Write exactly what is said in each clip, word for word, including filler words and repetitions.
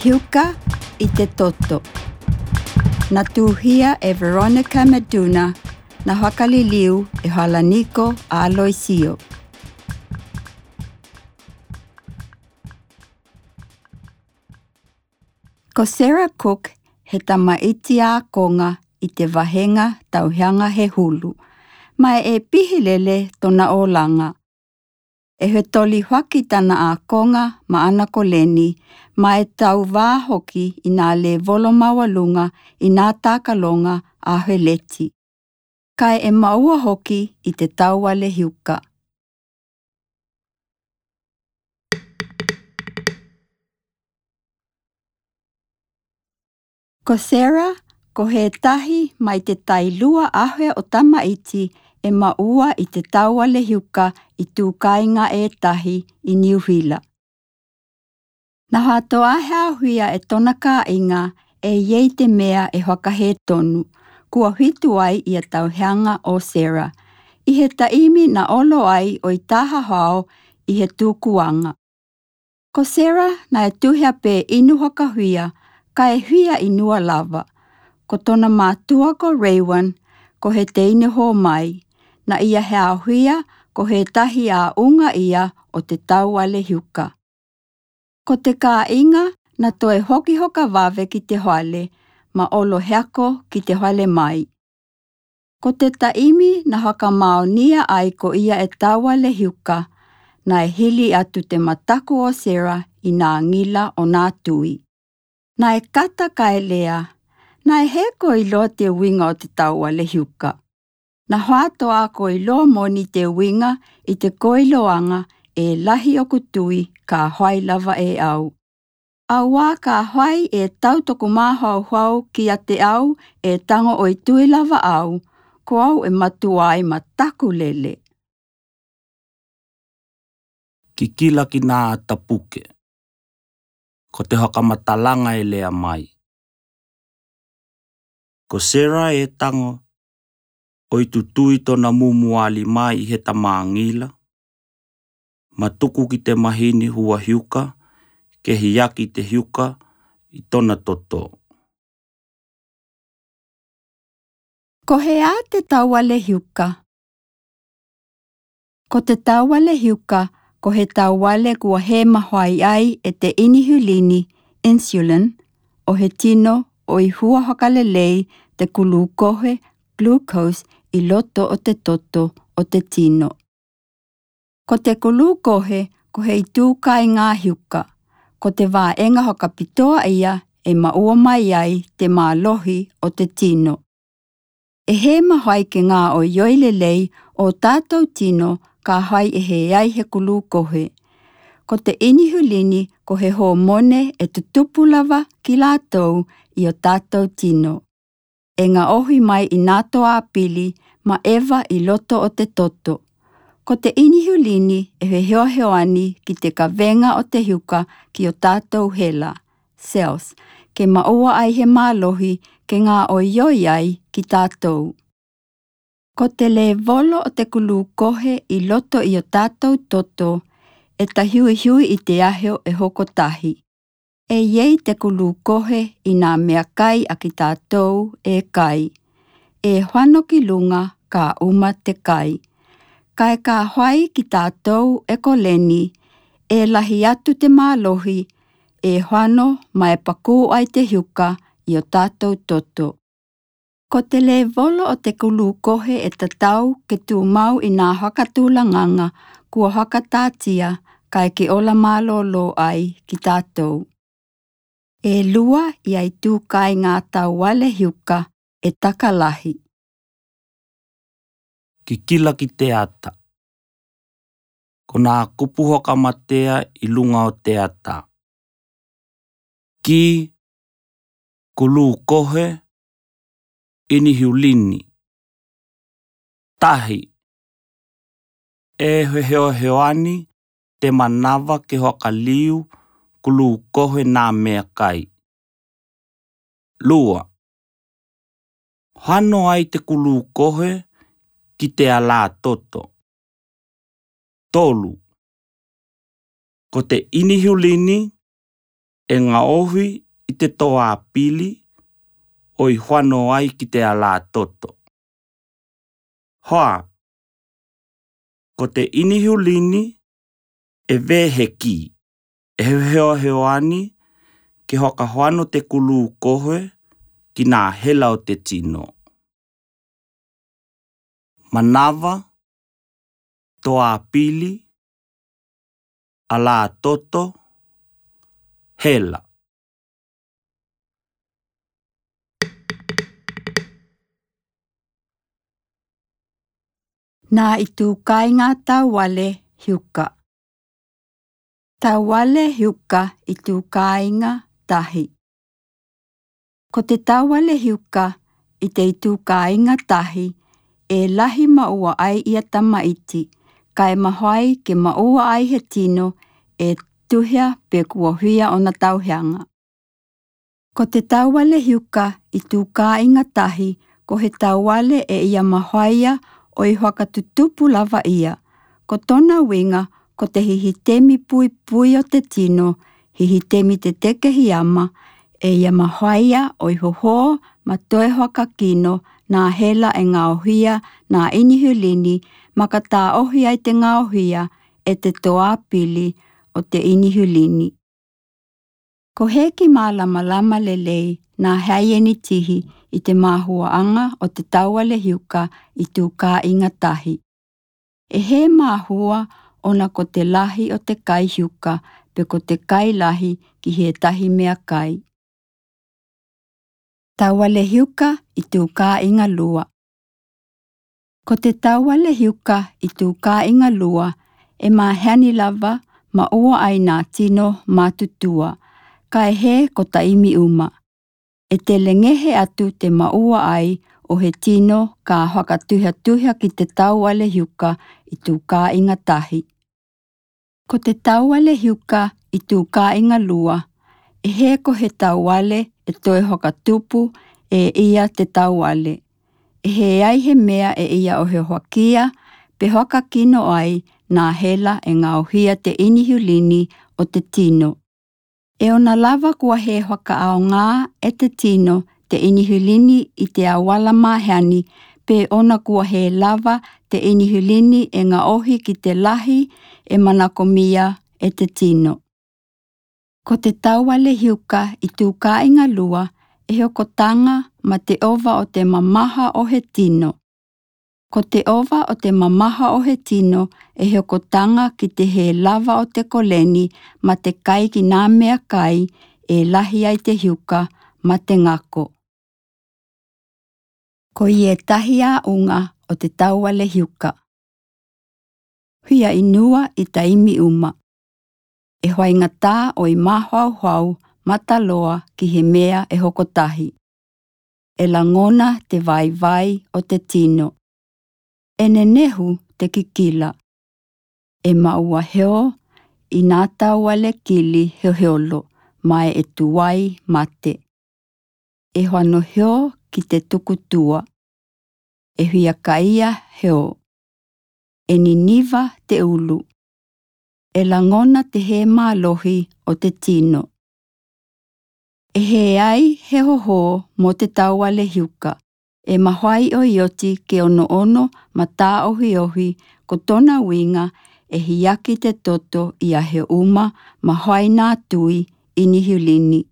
Hiuka i te Toto. Na tuuhia e Veronica Maduna, na fakaliliu e Falaniko Aloisio. Ko Sarah Cook he tamaiti ākonga i te vahenga tauheaga he hulu, ma e pihi lele tona olaga. E fetoli faki tana ākonga ma ana koleni, ma e tauvā foki i nā levolo maualuga i nā takaloga a feleti. Kae e maua foki i te tauvale hiuka. Ko Sarah, ko he tahi mai te tailua afe o tamaiti e maua i te tauvale hiuka i tū kāiga e tahi i Niu Sila. Na fātoa he āhuia e tona kāiga e iei te mea e fakahē tonu, kua fitu ai ia tauheaga o Sarah, i he taimi na olo ai o i taha fao i he tukuaga. Ko Sarah na e tuhi a pē inu fakafia, kae fia inua lava. Ko tona mātua ko Raywin, ko he teine fō mai, na ia he āhuia ko he tahi āuga ia o te tauvale hiuka. Ko te kāiga na toe foki hoka vave ki te fale, ma olo heako ki te fale mai. Ko te taimi na fakamaonia ai ko ia e tauvale hiuka, na e hili atu te mataku o Sarah i nā gila o nā tui. Na e kata kae lea, na e hē ko iloa te uiga o te tauvale hiuka. Na fātoa ko iloa moni te uiga i te ko iloaga e lahi oku tui ka fai lava e au. Auā ka fai e tau toku mafaufau kiate au e tago o i tui lava au, ko au e matuā ai mataku lele. Kikila ki nā ata puke. Ko te fakamatalaga e lea mai. Ko Sarah e tago o i tutui tona mumuali mai i he tamagila, ma tuku ki te mahini fua hiuka, ke hiaki te hiuka i tona toto. Ko he ā te tauvale hiuka? Ko te tauvale hiuka, ko he tauvale kua hē mahuaʻi ai e te inihulini, insulin, o he tino o i fua fakalelei te kulūkohe, glucose, i loto o te toto o te tino. Ko te kulūkohe, ko he itū kāiga hiuka, ko te vaega fakapitoa ia e maua mai ai te mālohi o te tino. E hē mahuaʻi ke gaoioi lelei o tātou tino ka fai e hē ai he kulūkohe. Ko te inihulini, ko he hōmone e tutupu lava ki lātou i o tātou tino. E gaohi mai i nā toa pili ma eva i loto o te toto. Ko te inihulini e fehoahoani ki te kavega o te hiuka ki o tātou hela, cells, ke maua ai he mālohi ke gaoioi ai ki tātou. Ko te levolo o te kulūkohe i loto i o tātou toto e tahuihui i te aho e hokotahi. E iei te kulūkohe i nā meakai a ki tātou e kai. E fano ki luga ka uma te kai. Kae ka fai ki tātou e koleni, e lahi atu te mālohi, e fano ma e pakū ai te hiuka i o tātou toto. Ko te levolo o te kulūkohe e tatau ke tumau i nā fakatulagaga kua fakatātia kae ke ola mālōlō ai ki tātou. E lua ia itū kāiga tauvale hiuka e taka lahi. Kikila ki te ata. Ko nā kupu fakamatea i luga o te ata. Ki, kulūkohe, inihulini. Tahi. E fehoahoani te manava ke fakaliu kulūkohe nā meakai. Lua. Fano ai te kulūkohe ki te alātoto. Tolu. Ko te inihulini e ngaohi i te toa pili ʻo e hono ai ki te ala toto. Hoa, ko te ʻinihulini e veheki, e heoheo ani ke hokahoano te kulūkohe ki nā hela o te tino. Manava, toa pili, ala toto, hela. Nā ʻItūkāiga tauvale hiuka. Tauvale hiuka ʻItūkāiga tahi. Ko te tauvale hiuka i te ʻItūkāiga tahi, e lahi maʻua ai ia tamaiti, kae mahoai ke maʻua ai he tino e tuhia pe kuo hia ʻona tauhiaga. Ko te tauvale hiuka ʻItūkāiga tahi, ko he tauvale e ia mahoaia ʻo e fakatutupu lava ia. Ko tona uiga, ko te hihitemi puipui o te tino, hihitemi te tekehiama, e ia mahoaia ʻo e hoho ma toe fakakino nā hela e ngaohia nā ʻinihulini, ma ka taohi ai te ngaohia e te toa pili o te ʻinihulini. Ko heki mālamalama lelei nā haienitihi i te mahuaʻaga o te tauvale hiuka ʻItūkāiga tahi. E he mahua ʻona ko te lahi o te kai hiuka pe ko te kai lahi ki he tahi meakai. Tauvale hiuka ʻItūkāiga lua. Ko te tauvale hiuka ʻItūkāiga lua, e mahoa ni lava maʻua ai nā tino matutua, kae he ko taimi uma. E tele gehe atu te maʻua ai ʻo he tino ka fakatuhiatuhia ki te tauvale hiuka ʻItūkāiga tahi. Ko te tauvale hiuka ʻItūkāiga lua, e he ko he tauvale e toe fakatupu e ia te tauvale. E he ai he mea e ia ʻohoakia pe fakakino ai nā hela e ngaohia te ʻinihulini o te tino. E ʻona lava kua he fakaaoga e te tino te ʻinihulini i te auala mahoa ni, pe ʻona kua he lava te ʻinihulini e ngaohi ki te lahi e manakomia e te tino. Ko te tauvale hiuka ʻItūkāiga lua, e hokotaga ma te ʻova o te mamaha o he tino. Ko te ʻova o te mamaha o he tino e hokotaga ki te he lava o te koleni ma te kai ki nā meakai e lahi ai te hiuka ma te gako. Ko ia e tahi aʻuga o te tauvale hiuka. Hia ʻinua i taimi uma. E hoaigata ʻo e mahoahoa mataloa ki he mea e hokotahi. E lagona te vaivai o te tino. E nenehu te kikila. E maʻua heo i nā tauvale kili heoheo mai e tuai mate. E hoano heo ki te tukutua. E hiakaia heo. E niniva te ulu. E lagona te he mālohi o te tino. E he ai he hoho mo te tauvale hiuka. E mahoai ʻo e oti ke onoono ma taohiohi, ko tona uiga e hiaki te toto ia he uma mahoai nā tui ʻinihulini.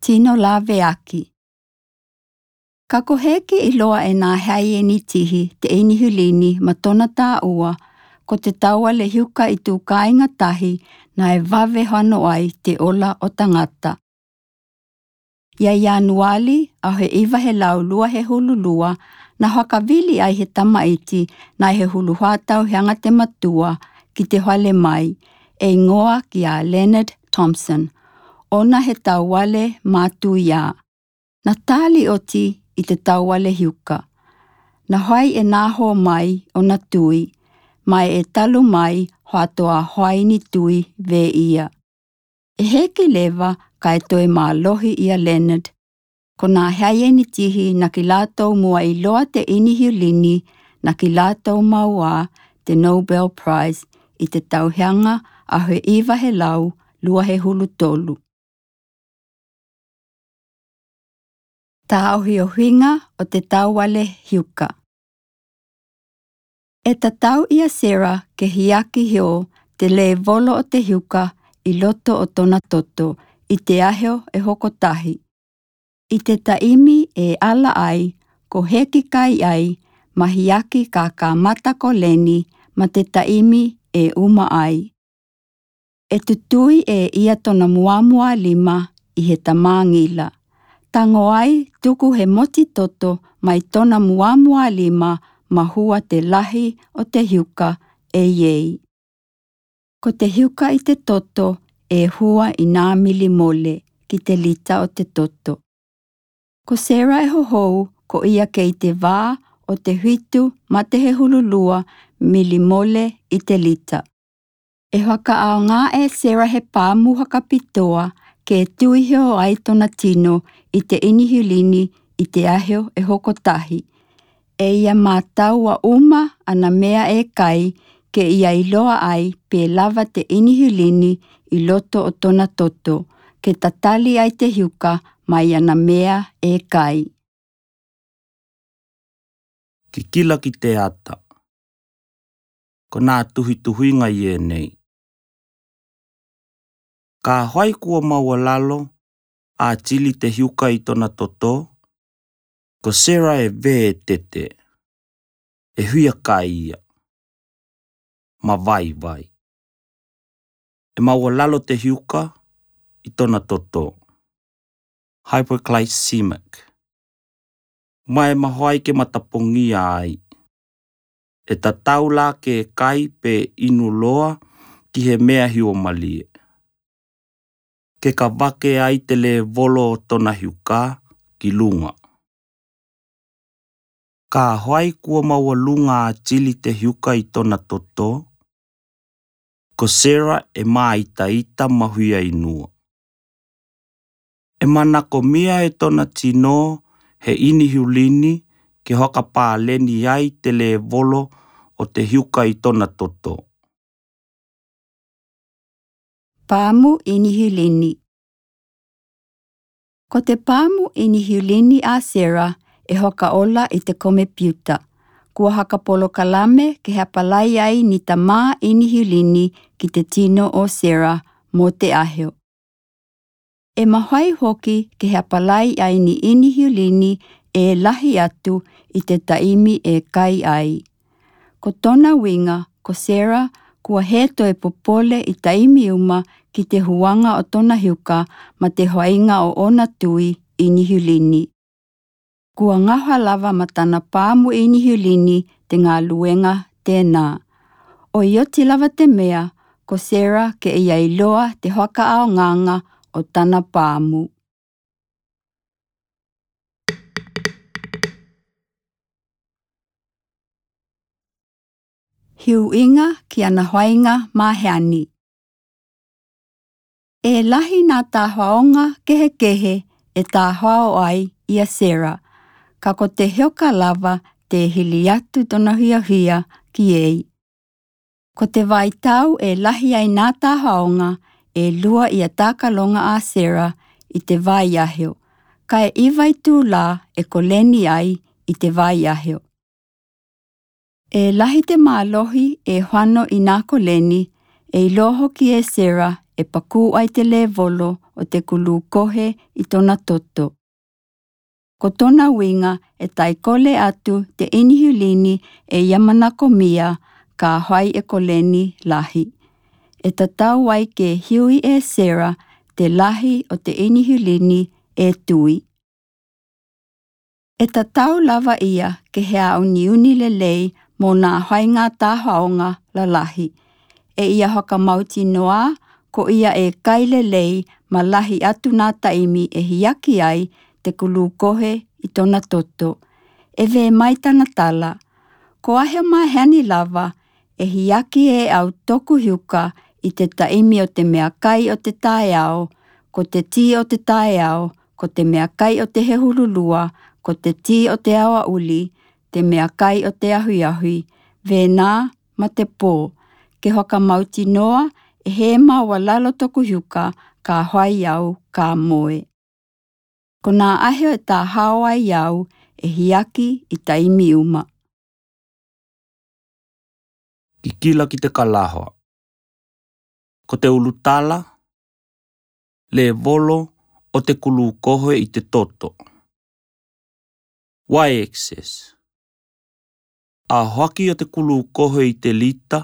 Tino laveaki. Ka ko heki iloa e nā haienitihi te ʻinihulini ma tona tāua, ko te tauvale hiuka ʻItūkāiga tahi naʻe vave hono ai te ola o tagata. Ia Ianuali ʻaho e iva he lau lua he hulu lua, na fakavili ai he tamaiti naʻe he hulu fā tauhiaga te matua ki te fale mai, e igoa kia Leonard Thompson, ʻona he tauvale matuia. Na tali oti i te tauvale hiuka. Na hoai e nā ho mai ʻona tui, mai e talu mai hoatoa hoai ni tui vē ia. E heki leva kae toe mālohi ia Leonard. Ko nā haienitihi naʻa ki lātou mua iloa te ʻinihulini, naʻa ki lātou maua te Nobel Prize i te tauhiaga ʻaho e iva he lau luahehulu tolu. Taohiohinga o te tauvale hiuka. E tatau ia Sarah ke hiaki hio te levolo o te hiuka i loto o tona toto i te aho e hoko tahi. I te taimi e ala ai, ko heki kai ai, ma hiaki ka kamata ko Leni ma te taimi e uma ai. E tutui e ia tona muamua lima i he tamangila. Tango ai tuku he moti toto mai tona muamua lima ma hua te lahi o te hiuka e iei. Ko te hiuka i te toto e hua i nā milimole ki te lita o te toto. Ko Sarah e hohou, ko ia kei te vā o te hitu ma te hehululua milimole i te lita. E hakaʻaoga e Sarah he pāmu hakapitoa ke tui hio ai tona tino i te inihulini i te aho e hoko tahi. E ia mātau ua uma ana mea e kai, ke ia iloa ai pe lava te inihulini i loto o tona toto, ke tatali ai te hiuka mai ana mea e kai. Kikila ki te ata. Ko nā tuhituhinga i ēnei. Ka hoai kua maua lalo a Chili te hiuka i tona toto, ko Sarah e vē e tete, e huia kai ia. Ma vaivai. E maua lalo te hiuka i tona toto. Hypoglycemic. Ma e mahoai ke matapogia ai. E tatau la ke kai pe inu loa ki he mea hiumalie. Ke kavake ai te levolo o tona hiuka ki luga. Ka hoai kua maua luga a Chili te hiuka i tona toto, ko Sarah e māitaita ma huia inua. E manakomia e tona tino he inihulini ke hokapaleni ai te levolo o te hiuka i tona toto. Pāmu inihulini. Ko te pāmu inihulini a Sarah e hokaola i te komepiuta. Kua hakapolokalame ke hapalai ai ni tamā inihulini ki te tino o Sarah mo te aho. E mahoai hoki ke hapalai ai ni inihulini e lahi atu i te taimi e kai ai. Ko tona uiga, ko Sarah, kua hē toe popole i taimi uma ki te huaga o tona hiuka ma te hoaiga o ona tui inihulini. Kua gafa lava ma tana pāmu inihulini te galuega tenā. ʻOiʻoi lava te mea, ko Sarah ke ia iloa te hakaʻaogaga o tana pāmu. Huʻiga ki ana hoaiga maheani. E lahi nā tahoaoga kehekehe e tahoao ai ia Sarah, ka ko te hoka lava te hili atu tona hiahia ki ei. Ko te vaitau e lahi ai nā tahoaoga e lua ia takaloga a Sarah i te vaiaho, kae iva itula e koleni ai i te vaiaho. E lahi te mālohi e hoano i nā koleni, e iloa hoki e Sarah e pakū ai te levolo o te kulūkohe i tona toto. Ko tona uiga e taikole atu te inihulini e ia manakomia ka hoai e koleni lahi. E tatau ai ke hiui e Sarah te lahi o te inihulini e tui. E tatau lava ia ke he auniuni lelei mo nā hoaiga tahoaoga lalahi. E ia fakamautinoa ko ia e kai lelei ma lahi atu nā taimi e hiaki ai te kulūkohe i tona toto. E vē mai tana tala. Ko aho maheani lava e hiaki e au toku hiuka i te taimi o te meakai o te taeao, ko te tī o te taeao, ko te meakai o te hehululua, ko te tī o te aoauli, te meakai o te ahuiahui, vena ma te pō, ke fakamautinoa ʻE hē māualalo toku hiuka, ka hoai au ka moe. Ko nā ʻahi ʻe tāhao ai au ʻe hiaki i taimi uma. Kikila ki te kalahoa. Ko te ulutala, lēvolo ʻo te kulūkohe i te toto. Y-axis. Ahoaki ʻo te kulūkohe i te lita,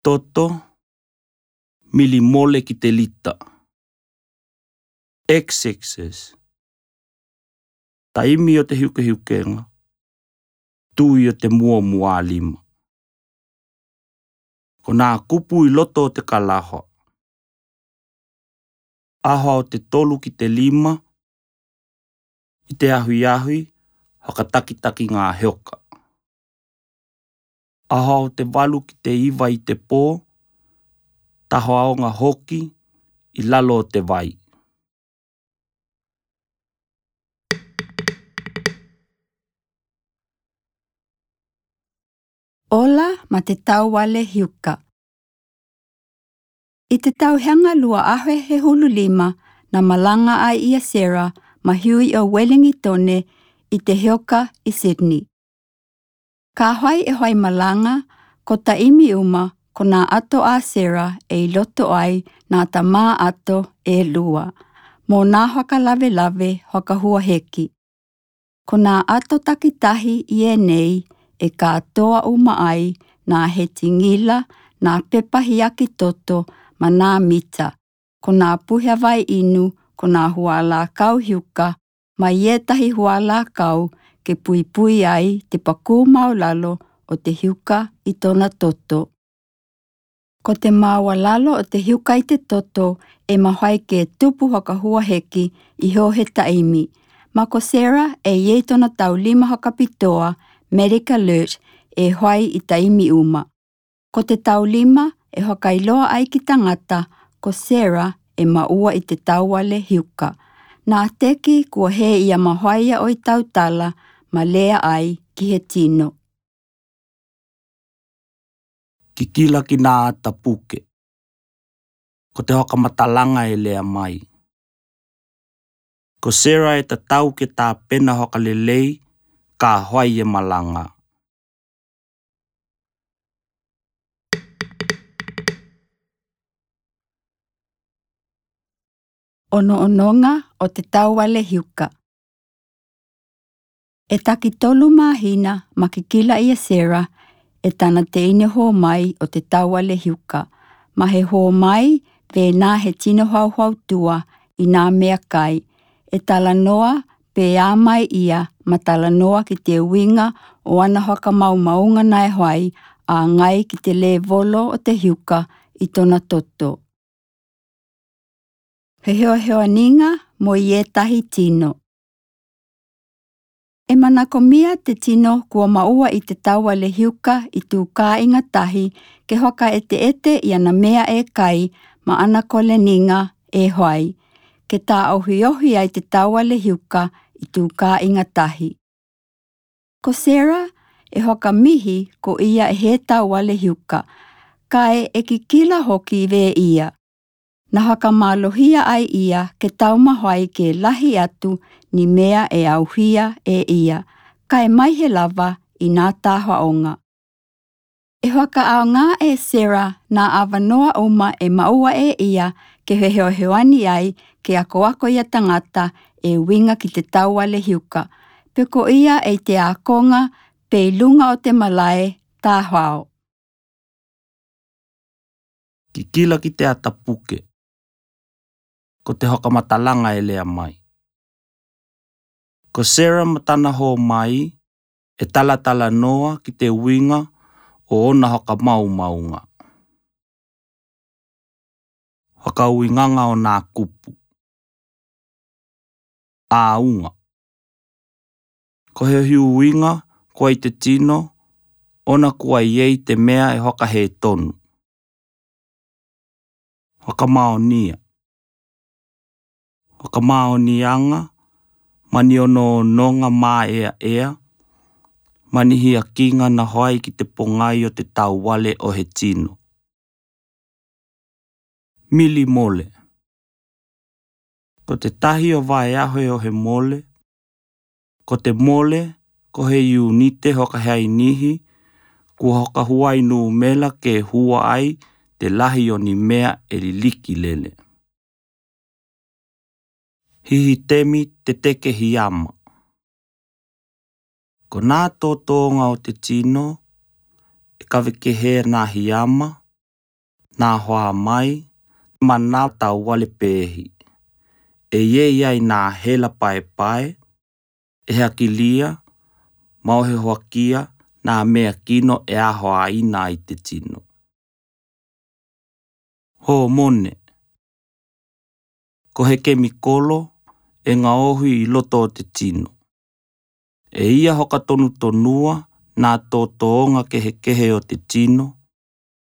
toto, milimole ki te lita. X-axis. Taimi ʻo te hiukehiukenga, tui ʻo te muamualima. Ko nā kupu i loto ʻo te kalahoa. ʻAho ʻo te tolu ki te lima, i te ahuiahi, hakatakitakinga heoka. ʻAho ʻo te valu ki te iva i te pō, tahoaonga hoki i lalo o te vai. Ola ma te tauale hiuka. I te tauheaga lua afe hehulu lima, na malanga ai ʻia Sarah ma Hughie ʻo Ueligitone i te heoka i Sydney. Ka hoai e hoai malanga, ko taimi uma, ko nā ʻato a Sarah ʻe i loto ai nā tamā ʻato ʻe lua, mo nā fakalavelave fakahuaheki. Ko nā ʻato takitahi ʻi ʻenei ʻe kātoa uma ai nā hetingila, nā pepa hiaki toto ma nā mita, ko nā puhe vai inu, ko nā hualākau hiuka, mai ʻētahi hualākau ke puipui ai te pakū māualalo ʻo te hiuka i tōna toto. Ko te māualalo ʻo te hiuka i te toto ʻe mahuʻi ke tupu fakahuaheki i hoʻo he taimi. Ma ko Sarah ʻe ʻi ai tōna taulima fakapitoa, Medic Alert, ʻe hoai i taimi uma. Ko te taulima ʻe fakailoa ai ki tangata ko Sarah ʻe maʻua i te tauale hiuka. Nā teki kua hē ia mahuʻi ʻo i tautala ma lea ai ki he tino. Kikila ki nā ata puke. Ko te fakamatalanga e lea mai. Ko Sarah ʻe tatau ke tāpena fakalelei ka hoai e malanga. Onoonoga ʻo te tauale hiuka. ʻE taki tolu māhina ma kikila ʻia Sarah ʻe tana teine hōmai ʻo te tauale hiuka. Ma he hōmai, pē nā he tino faufatua i nā meʻakai. ʻE talanoa pē ā mai ia ma talanoa ki te uiga ʻo ana fakamaumauga naʻe hoai, ʻāgai ki te lēvolo ʻo te hiuka i tōna toto. Fehoehoaniga mo ʻētahi tino. ʻE manakomia te tino kua maʻua i te tauale hiuka i tū kāiga tahi ke fakaʻeteʻete i ana meʻa e kai ma ana koleniga e hoai, ke taʻohiohi ai te tauale hiuka i tū kāiga tahi. Ko Sarah ʻe fakamihi ko ia ʻe he tauale hiuka, kae ʻe kikila hoki vē ia. Na fakamālohia ai ia ke taumafa ai ke lahi atu ni meʻa ʻe ʻauhia e ia, kae maihe lava i nā tafaʻoga. ʻE fakaʻaoga e Sarah nā avanoa uma ʻe maʻua e ia ke fehoehoani ai ke akoako ia tangata e uiga ki te tauale hiuka, pe ko ia ʻe i te ākoga pe i luga o te malae tafao. Kikila ki te ata puke. Ko te fakamatalanga e lea mai. Ko Sarah ma tana hōmai ʻe talatalanoa ki te uiga ʻo ōna fakamaumauga. Fakauigaga ʻo nā kupu. ʻĀuga. Ko he uiga kua i te tino, ʻona kua ʻi ai te meʻa ʻe fakahē tonu. Fakamaonia. Fakamaoniaga ma ni onoonoga māʻeaʻea, ma ni hiakiga na hoai ki te pogai o te tauale ʻo he tino. Mili mole. Ko te tahi o vaeaho o he mole, ko te mole, ko he iunite hoka he ainihi, kua hoka huai numela ke hua ai te lahi o ni mea e liliki lele. Hihi temi te teke hiama. Ko nā tōtōnga o te tino, e kave kehe nā hiama, nā hoa mai, ma nā tauale pehi. E iei ai nā hela paepae, e hakilia, ma o he hoakia, nā mea kino e ahoaina ai te tino. Hōmone. Ko he kemikolo e ngaohi i loto o te tino. E ia hoka tonutonua nā tōtōnga kehekehe o te tino,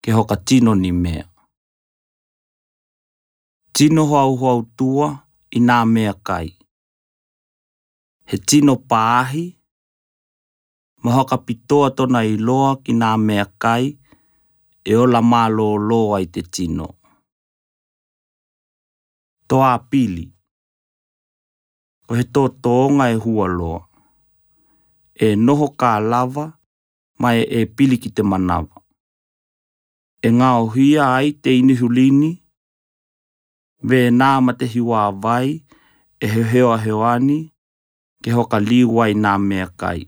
ke hoka tino ni mea. Tino hoauhoautua i nā mea kai. He tino pāhi, ma hoka pitoa tona iloa ki nā mea kai, e ola mālōlō ai te tino. Toa pili. Ko he tōtōnga e hua loa. E noho ka lava, ma e, e pili ki te manava. E ngaohia ai te inihulini, vē nā ma te hiua vai, e he heoaheoani, ke hoka liu ai nā mea kai.